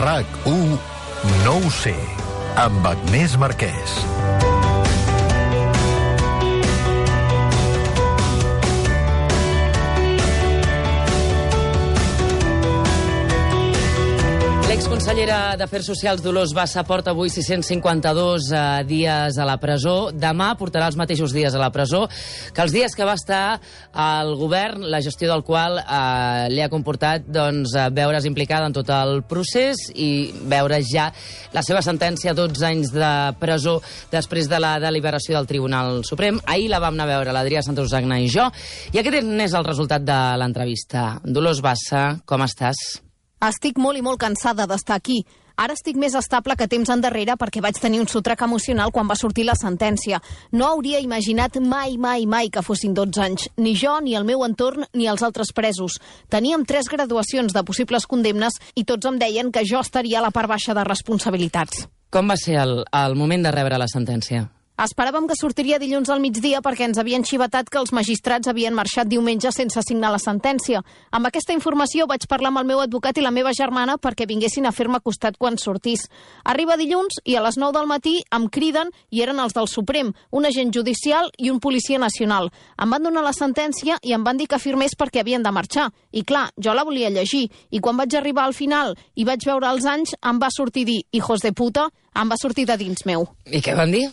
RAC1 No ho sé, amb Agnès Marquès. L'exconsellera d'Afers Socials Dolors Bassa porta avui 652 dies a la presó. Demà portarà els mateixos dies a la presó que els dies que va estar al govern, la gestió del qual li ha comportat veure's implicada en tot el procés i veure ja la seva sentència, 12 anys de presó després de la deliberació del Tribunal Suprem. Ahir la vam anar a veure l'Adrià Santuzagna i jo, i aquest n'és el resultat de l'entrevista. Dolors Bassa, com estàs? Estic molt i molt cansada d'estar aquí. Ara estic més estable que temps endarrere perquè vaig tenir un sotrac emocional quan va sortir la sentència. No hauria imaginat mai que fossin 12 anys. Ni jo, ni el meu entorn, ni els altres presos. Teníem 3 graduacions de possibles condemnes i tots em deien que jo estaria a la part baixa de responsabilitats. Com va ser el moment de rebre la sentència? Esperàvem que sortiria dilluns al migdia perquè ens havien xivatat que els magistrats havien marxat diumenge sense signar la sentència. Amb aquesta informació vaig parlar amb el meu advocat i la meva germana perquè vinguessin a fer-me costat quan sortís. Arriba dilluns i a les 9 del matí em criden i eren els del Suprem, un agent judicial i un policia nacional. Em van donar la sentència i em van dir que firmés perquè havien de marxar. I clar, jo la volia llegir. I quan vaig arribar al final i vaig veure els anys, em va sortir dir hijos de puta, em va sortir de dins meu. I què van dir?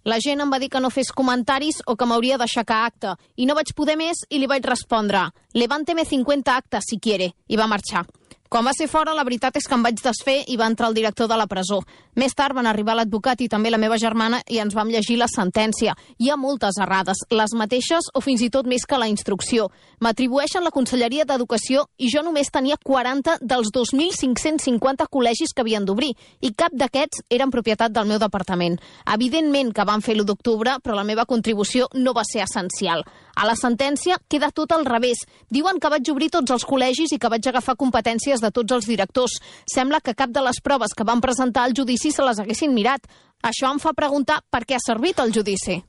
La gent em va dir que no fes comentaris o que m'hauria d'aixecar acta. I no vaig poder més i li vaig respondre «Levánteme 50 actes si quiere», i va marxar. Quan va ser fora, la veritat és que em vaig desfer i va entrar el director de la presó. Més tard van arribar l'advocat i també la meva germana i ens vam llegir la sentència. Hi ha moltes errades, les mateixes o fins i tot més que la instrucció. M'atribueixen la Conselleria d'Educació i jo només tenia 40 dels 2.550 col·legis que havien d'obrir i cap d'aquests eren propietat del meu departament. Evidentment que van fer l'1 d'octubre, però la meva contribució no va ser essencial. A la sentència queda tot al revés. Diuen que vaig obrir tots els col·legis i que vaig agafar competències de tots els directors. Sembla que cap de les proves que van presentar al judici se les haguessin mirat. Això em fa preguntar per què ha servit el judici.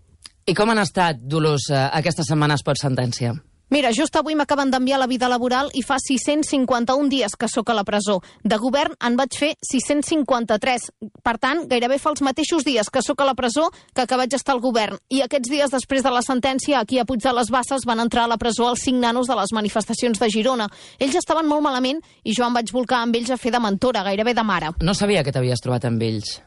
I com han estat, Dolors, aquestes setmanes post-sentència? Mira, just avui m'acaben d'enviar la vida laboral i fa 651 dies que sóc a la presó. De govern en vaig fer 653. Per tant, gairebé fa els mateixos dies que sóc a la presó que vaig estar al govern. I aquests dies després de la sentència, aquí a Puig de les Basses van entrar a la presó els 5 nanos de les manifestacions de Girona. Ells estaven molt malament i jo em vaig volcar amb ells a fer de mentora, gairebé de mare. No sabia que t'havies trobat amb ells.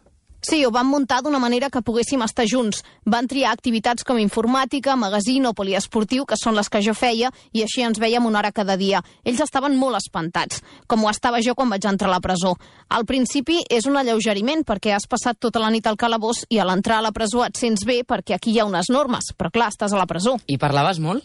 Sí, ho van muntar d'una manera que poguéssim estar junts. Van triar activitats com informàtica, magazín o poliesportiu, que són les que jo feia, i així ens vèiem una hora cada dia. Ells estaven molt espantats, com ho estava jo quan vaig entrar a la presó. Al principi és un alleugeriment, perquè has passat tota la nit al calabós i a l'entrar a la presó et sents bé perquè aquí hi ha unes normes, però clar, estàs a la presó. I parlaves molt?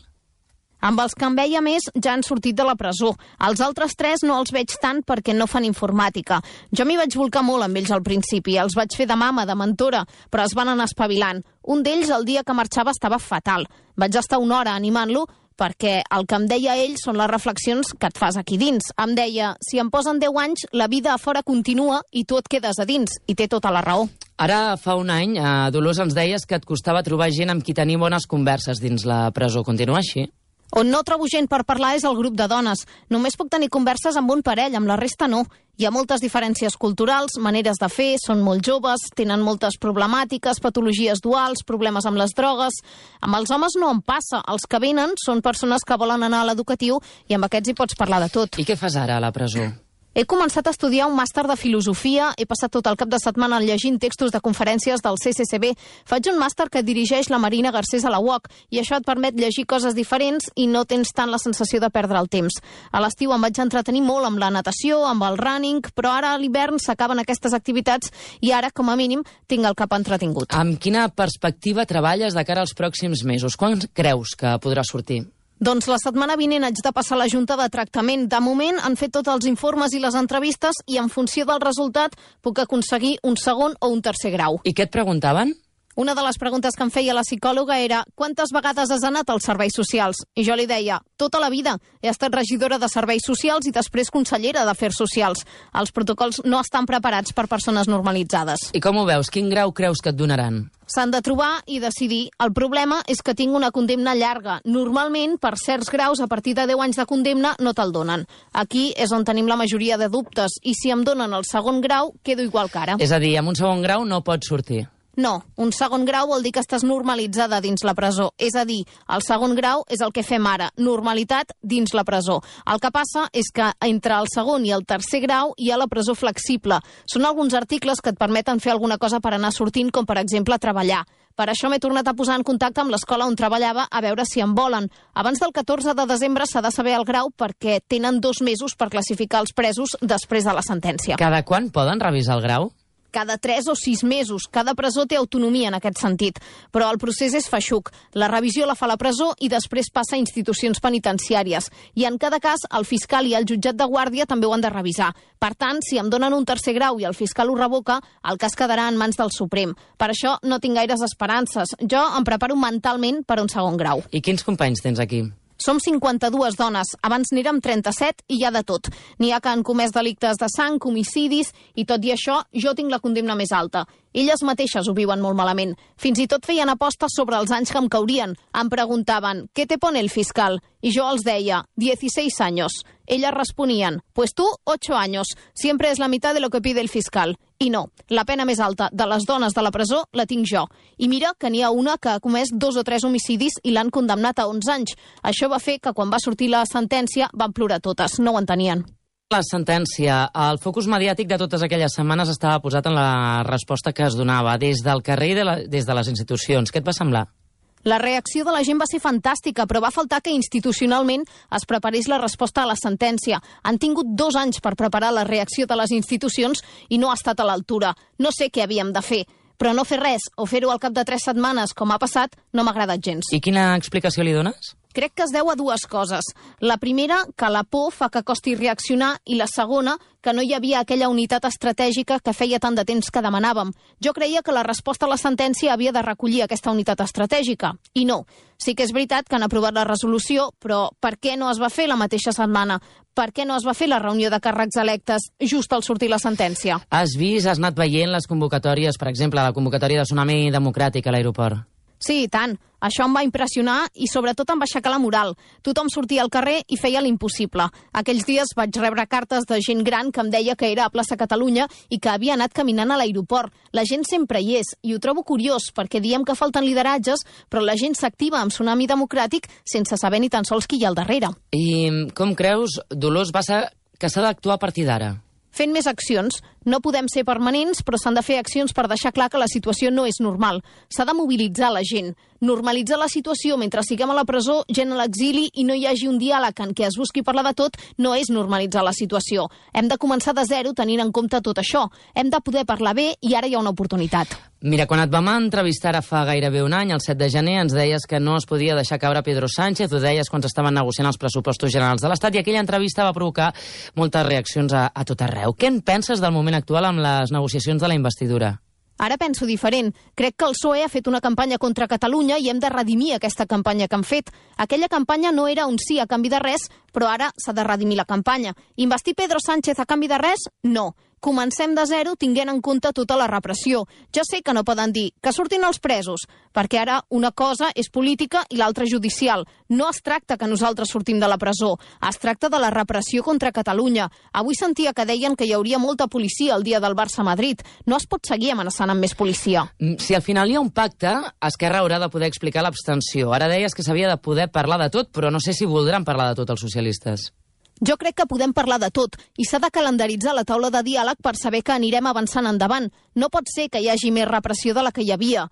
Amb els que em veia més ja han sortit de la presó. Els altres 3 no els veig tant perquè no fan informàtica. Jo m'hi vaig volcar molt amb ells al principi. Els vaig fer de mama, de mentora, però es van anar espavilant. Un d'ells el dia que marxava estava fatal. Vaig estar una hora animant-lo perquè el que em deia ell són les reflexions que et fas aquí dins. Em deia, si em posen 10 anys, la vida a fora continua i tu et quedes a dins. I té tota la raó. Ara, fa un any, Dolors, ens deies que et costava trobar gent amb qui tenir bones converses dins la presó. Continua així? On no trobo gent per parlar és el grup de dones. Només puc tenir converses amb un parell, amb la resta no. Hi ha moltes diferències culturals, maneres de fer, són molt joves, tenen moltes problemàtiques, patologies duals, problemes amb les drogues. Amb els homes no em passa. Els que venen són persones que volen anar a l'educatiu i amb aquests hi pots parlar de tot. I què fas ara a la presó? He començat a estudiar un màster de filosofia, he passat tot el cap de setmana llegint textos de conferències del CCCB. Faig un màster que dirigeix la Marina Garcés a la UOC i això et permet llegir coses diferents i no tens tant la sensació de perdre el temps. A l'estiu em vaig entretenir molt amb la natació, amb el running, però ara a l'hivern s'acaben aquestes activitats i ara, com a mínim, tinc el cap entretingut. Amb quina perspectiva treballes de cara als pròxims mesos? Quan creus que podrà sortir? Doncs la setmana vinent haig de passar a la Junta de Tractament. De moment han fet tots els informes i les entrevistes i en funció del resultat puc aconseguir un segon o un tercer grau. I què et preguntaven? Una de les preguntes que em feia la psicòloga era quantes vegades has anat als serveis socials? I jo li deia, tota la vida. He estat regidora de serveis socials i després consellera d'Afers Socials. Els protocols no estan preparats per persones normalitzades. I com ho veus? Quin grau creus que et donaran? S'han de trobar i decidir. El problema és que tinc una condemna llarga. Normalment, per certs graus, a partir de 10 anys de condemna, no te'l donen. Aquí és on tenim la majoria de dubtes. I si em donen el segon grau, quedo igual que ara. És a dir, amb un segon grau no pots sortir. No, un segon grau vol dir que estàs normalitzada dins la presó. És a dir, el segon grau és el que fem ara, normalitat dins la presó. El que passa és que entre el segon i el tercer grau hi ha la presó flexible. Són alguns articles que et permeten fer alguna cosa per anar sortint, com per exemple treballar. Per això m'he tornat a posar en contacte amb l'escola on treballava a veure si em volen. Abans del 14 de desembre s'ha de saber el grau perquè tenen 2 mesos per classificar els presos després de la sentència. Cada quan poden revisar el grau? Cada 3 o 6 mesos. Cada presó té autonomia en aquest sentit. Però el procés és feixuc. La revisió la fa la presó i després passa a institucions penitenciàries. I en cada cas, el fiscal i el jutjat de guàrdia també ho han de revisar. Per tant, si em donen un tercer grau i el fiscal ho revoca, el cas quedarà en mans del Suprem. Per això no tinc gaires esperances. Jo em preparo mentalment per un segon grau. I quins companys tens aquí? Som 52 dones, abans n'érem 37 i hi ha de tot. N'hi ha que han comès delictes de sang, homicidis, i tot i això jo tinc la condemna més alta. Elles mateixes ho viuen molt malament. Fins i tot feien apostes sobre els anys que em caurien. Em preguntaven, ¿qué te pone el fiscal? I jo els deia, 16 años. Elles responien, pues tú, 8 años. Siempre es la mitad de lo que pide el fiscal. I no, la pena més alta de les dones de la presó la tinc jo. I mira que n'hi ha una que ha comès 2 o 3 homicidis i l'han condemnat a 11 anys. Això va fer que quan va sortir la sentència van plorar totes, no ho entenien. La sentència, el focus mediàtic de totes aquelles setmanes estava posat en la resposta que es donava des del carrer i des de les institucions. Què et va semblar? La reacció de la gent va ser fantàstica, però va faltar que institucionalment es preparés la resposta a la sentència. Han tingut 2 anys per preparar la reacció de les institucions i no ha estat a l'altura. No sé què havíem de fer, però no fer res o fer-ho al cap de 3 setmanes, com ha passat, no m'ha agradat gens. I quina explicació li dones? Crec que es deu a 2 coses. La primera, que la por fa que costi reaccionar, i la segona, que no hi havia aquella unitat estratègica que feia tant de temps que demanàvem. Jo creia que la resposta a la sentència havia de recollir aquesta unitat estratègica, i no. Sí que és veritat que han aprovat la resolució, però per què no es va fer la mateixa setmana? Per què no es va fer la reunió de càrrecs electes just al sortir la sentència? Has anat veient les convocatòries, per exemple, la convocatòria de Tsunami Democràtic a l'aeroport? Sí, i tant. Això em va impressionar i sobretot em va aixecar la moral. Tothom sortia al carrer i feia l'impossible. Aquells dies vaig rebre cartes de gent gran que em deia que era a Plaça Catalunya i que havia anat caminant a l'aeroport. La gent sempre hi és i ho trobo curiós perquè diem que falten lideratges, però la gent s'activa amb Tsunami Democràtic sense saber ni tan sols qui hi ha al darrere. I com creus, Dolors Bassa, que s'ha d'actuar a partir d'ara? Fent més accions. No podem ser permanents, però s'han de fer accions per deixar clar que la situació no és normal. S'ha de mobilitzar la gent. Normalitzar la situació mentre siguem a la presó, gent a l'exili i no hi hagi un diàleg en què es busqui parlar de tot, no és normalitzar la situació. Hem de començar de zero tenint en compte tot això. Hem de poder parlar bé i ara hi ha una oportunitat. Mira, quan et vam entrevistar ara fa gairebé un any, el 7 de gener, ens deies que no es podia deixar caure Pedro Sánchez, ho deies quan estaven negociant els pressupostos generals de l'Estat, i aquella entrevista va provocar moltes reaccions a tot arreu. Què en penses del moment actual amb les negociacions de la investidura? Ara penso diferent. Crec que el PSOE ha fet una campanya contra Catalunya i hem de redimir aquesta campanya que han fet. Aquella campanya no era un sí a canvi de res, però ara s'ha de redimir la campanya. Investir Pedro Sánchez a canvi de res? No. Comencem de zero tinguent en compte tota la repressió. Ja sé que no poden dir que surtin els presos, perquè ara una cosa és política i l'altra judicial. No es tracta que nosaltres sortim de la presó, es tracta de la repressió contra Catalunya. Avui sentia que deien que hi hauria molta policia el dia del Barça-Madrid. No es pot seguir amenaçant amb més policia. Si al final hi ha un pacte, Esquerra haurà de poder explicar l'abstenció. Ara deies que s'havia de poder parlar de tot, però no sé si voldran parlar de tot els socialistes. Jo crec que podem parlar de tot i s'ha de calendaritzar la taula de diàleg per saber que anirem avançant endavant. No pot ser que hi hagi més repressió de la que hi havia.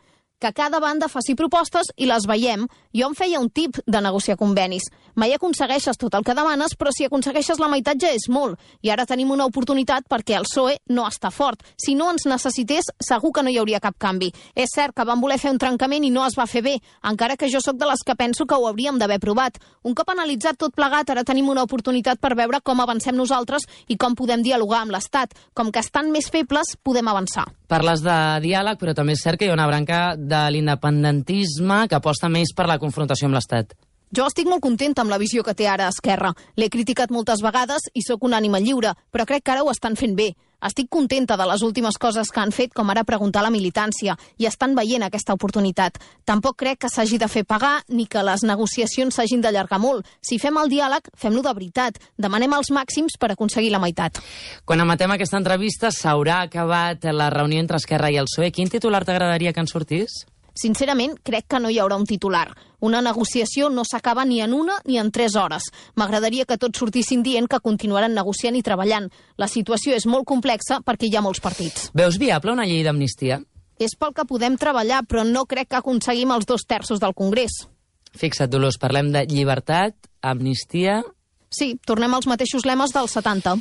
Que cada banda faci propostes i les veiem. Jo em feia un tip de negociar convenis. Mai aconsegueixes tot el que demanes, però si aconsegueixes la meitat ja és molt. I ara tenim una oportunitat perquè el PSOE no està fort. Si no ens necessités, segur que no hi hauria cap canvi. És cert que van voler fer un trencament i no es va fer bé, encara que jo sóc de les que penso que ho hauríem d'haver provat. Un cop analitzat tot plegat, ara tenim una oportunitat per veure com avancem nosaltres i com podem dialogar amb l'Estat. Com que estan més febles, podem avançar. Parles de diàleg, però també és cert que hi ha una branca de l'independentisme que aposta més per la confrontació amb l'Estat. Jo estic molt contenta amb la visió que té ara Esquerra. L'he criticat moltes vegades i sóc una ànima lliure, però crec que ara ho estan fent bé. Estic contenta de les últimes coses que han fet, com ara preguntar a la militància, i estan veient aquesta oportunitat. Tampoc crec que s'hagi de fer pagar ni que les negociacions s'hagin d'allargar molt. Si fem el diàleg, fem-lo de veritat. Demanem els màxims per aconseguir la meitat. Quan emetem aquesta entrevista s'haurà acabat la reunió entre Esquerra i el PSOE. Quin titular t'agradaria que en sortís? Sincerament, crec que no hi haurà un titular. Una negociació no s'acaba ni en 1 ni en 3 hores. M'agradaria que tots sortissin dient que continuaran negociant i treballant. La situació és molt complexa perquè hi ha molts partits. Veus viable una llei d'amnistia? És pel que podem treballar, però no crec que aconseguim els 2/3 del Congrés. Fixa't, Dolors, parlem de llibertat, amnistia... Sí, tornem als mateixos lemes dels 70.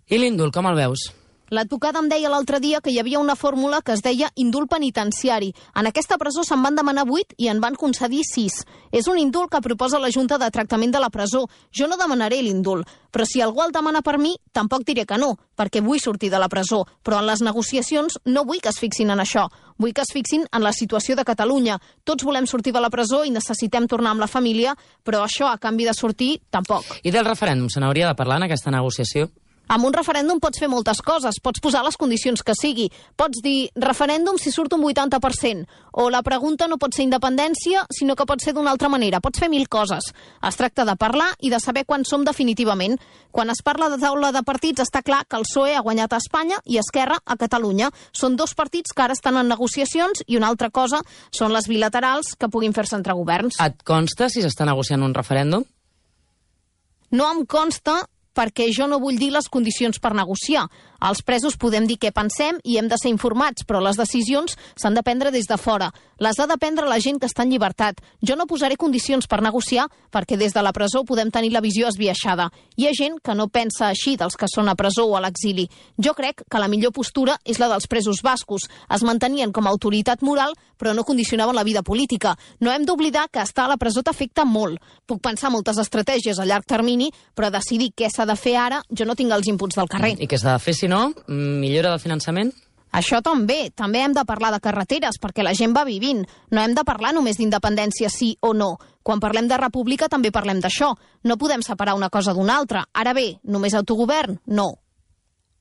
I l'indult, com el veus? L'advocada em deia l'altre dia que hi havia una fórmula que es deia indult penitenciari. En aquesta presó se'n van demanar 8 i en van concedir 6. És un indult que proposa la Junta de Tractament de la Presó. Jo no demanaré l'indult, però si algú el demana per mi, tampoc diré que no, perquè vull sortir de la presó. Però en les negociacions no vull que es fixin en això. Vull que es fixin en la situació de Catalunya. Tots volem sortir de la presó i necessitem tornar amb la família, però això, a canvi de sortir, tampoc. I del referèndum, se n'hauria de parlar en aquesta negociació? Amb un referèndum pots fer moltes coses, pots posar les condicions que sigui, pots dir referèndum si surt un 80%, o la pregunta no pot ser independència, sinó que pot ser d'una altra manera, pots fer 1000 coses. Es tracta de parlar i de saber quan som definitivament. Quan es parla de taula de partits està clar que el PSOE ha guanyat a Espanya i Esquerra a Catalunya. Són 2 partits que ara estan en negociacions i una altra cosa són les bilaterals que puguin fer-se entre governs. Et consta si s'està negociant un referèndum? No em consta, perquè jo no vull dir les condicions per negociar. Els presos podem dir què pensem i hem de ser informats, però les decisions s'han de prendre des de fora. Les ha de prendre la gent que està en llibertat. Jo no posaré condicions per negociar perquè des de la presó podem tenir la visió esbiaixada. Hi ha gent que no pensa així dels que són a presó o a l'exili. Jo crec que la millor postura és la dels presos bascos. Es mantenien com a autoritat moral, però no condicionaven la vida política. No hem d'oblidar que estar a la presó t'afecta molt. Puc pensar moltes estratègies a llarg termini, però decidir què s'ha de fer ara, jo no tinc els inputs del carrer. I què s'ha de fer, si no? Millora del finançament? Això també. També hem de parlar de carreteres, perquè la gent va vivint. No hem de parlar només d'independència sí o no. Quan parlem de república també parlem d'això. No podem separar una cosa d'una altra. Ara bé, només autogovern? No.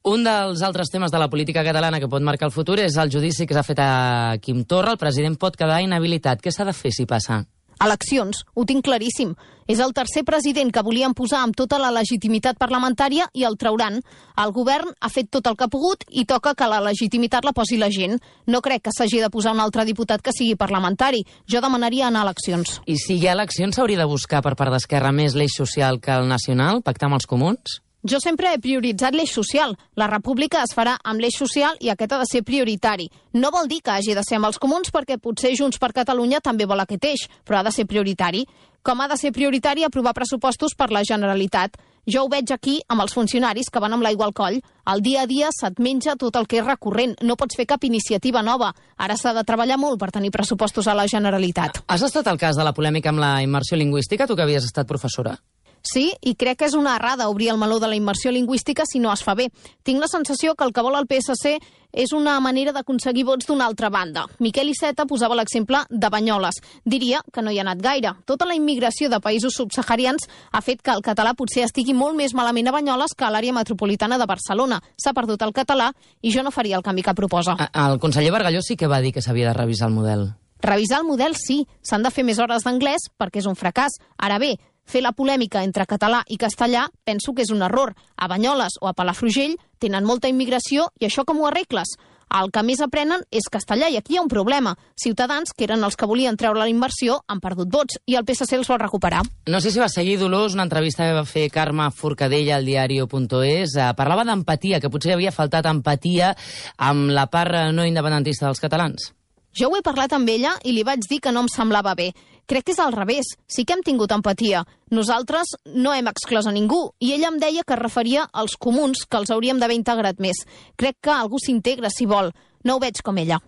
Un dels altres temes de la política catalana que pot marcar el futur és el judici que s'ha fet a Quim Torra. El president pot quedar inhabilitat. Què s'ha de fer si passa? Eleccions, ho tinc claríssim. És el tercer president que volien posar amb tota la legitimitat parlamentària i el trauran. El govern ha fet tot el que ha pogut i toca que la legitimitat la posi la gent. No crec que s'hagi de posar un altre diputat que sigui parlamentari. Jo demanaria anar a eleccions. I si hi ha eleccions s'hauria de buscar per part d'Esquerra més l'eix social que el nacional, pactar amb els comuns? Jo sempre he prioritzat l'eix social. La república es farà amb l'eix social i aquest ha de ser prioritari. No vol dir que hagi de ser amb els comuns perquè potser Junts per Catalunya també vol aquest eix, però ha de ser prioritari. Com ha de ser prioritari aprovar pressupostos per la Generalitat. Jo ho veig aquí amb els funcionaris que van amb l'aigua al coll. Al dia a dia se't menja tot el que és recurrent. No pots fer cap iniciativa nova. Ara s'ha de treballar molt per tenir pressupostos a la Generalitat. Has estat al cas de la polèmica amb la immersió lingüística, tu que havies estat professora? Sí, i crec que és una errada obrir el meló de la immersió lingüística si no es fa bé. Tinc la sensació que el que vol el PSC és una manera d'aconseguir vots d'una altra banda. Miquel Iceta posava l'exemple de Banyoles. Diria que no hi ha anat gaire. Tota la immigració de països subsaharians ha fet que el català potser estigui molt més malament a Banyoles que a l'àrea metropolitana de Barcelona. S'ha perdut el català i jo no faria el canvi que proposa. El conseller Bargalló sí que va dir que s'havia de revisar el model. Revisar el model sí. S'han de fer més hores d'anglès perquè és un fracàs. Ara bé, fer la polèmica entre català i castellà penso que és un error. A Banyoles o a Palafrugell tenen molta immigració i això com ho arregles? El que més aprenen és castellà i aquí hi ha un problema. Ciutadans, que eren els que volien treure la immersió, han perdut vots i el PSC els vol recuperar. No sé si va seguir, Dolors, una entrevista que va fer Carme Forcadell al diario.es. Parlava d'empatia, que potser havia faltat empatia amb la part no independentista dels catalans. Jo ho he parlat amb ella i li vaig dir que no em semblava bé. Crec que és al revés. Sí que hem tingut empatia. Nosaltres no hem exclòs a ningú i ella em deia que es referia als comuns, que els hauríem d'haver integrat més. Crec que algú s'integra si vol. No ho veig com ella.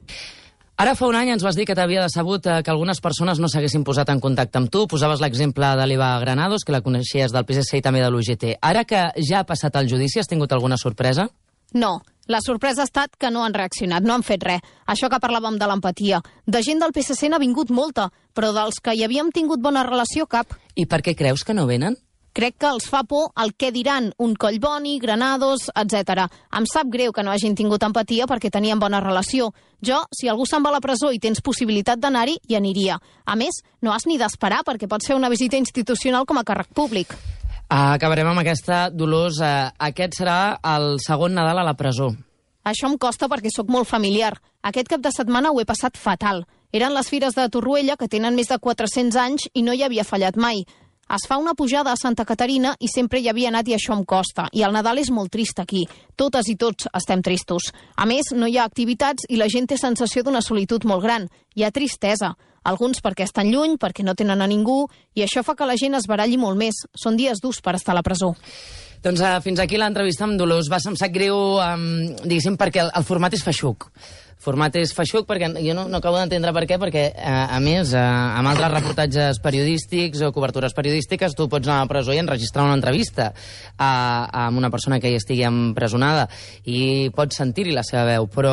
Ara fa un any ens vas dir que t'havia decebut que algunes persones no s'haguessin posat en contacte amb tu. Posaves l'exemple de l'Eva Granados, que la coneixies del PSC i també de l'UGT. Ara que ja ha passat el judici, has tingut alguna sorpresa? No. La sorpresa ha estat que no han reaccionat, no han fet res. Això que parlàvem de l'empatia. De gent del PSC n'ha vingut molta, però dels que hi havíem tingut bona relació, cap. I per què creus que no venen? Crec que els fa por el què diran, un Collboni, Granados, etc. Em sap greu que no hagin tingut empatia perquè tenien bona relació. Jo, si algú se'n va a la presó i tens possibilitat d'anar-hi, hi aniria. A més, no has ni d'esperar perquè pots fer una visita institucional com a càrrec públic. Acabarem amb aquesta, Dolors. Aquest serà el segon Nadal a la presó. Això em costa perquè sóc molt familiar. Aquest cap de setmana ho he passat fatal. Eren les fires de Torroella, que tenen més de 400 anys i no hi havia fallat mai. Es fa una pujada a Santa Caterina i sempre hi havia anat i això em costa. I el Nadal és molt trist aquí. Totes i tots estem tristos. A més, no hi ha activitats i la gent té sensació d'una solitud molt gran. Hi ha tristesa. Alguns perquè estan lluny, perquè no tenen a ningú, i això fa que la gent es baralli molt més. Són dies durs per estar a la presó. Doncs fins aquí l'entrevista amb Dolors Bassa. Em sap greu, diguéssim, perquè el format és feixuc. Format és feixuc perquè jo no acabo d'entendre per què, perquè, a més, amb altres reportatges periodístics o cobertures periodístiques, tu pots anar a la presó i enregistrar una entrevista amb una persona que hi estigui empresonada i pots sentir-hi la seva veu, però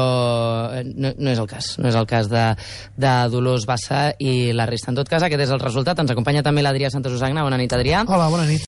no és el cas. No és el cas de Dolors Bassa i la resta. En tot cas, aquest és el resultat. Ens acompanya també l'Adrià Santasusagna. Bona nit, Adrià. Hola, bona nit.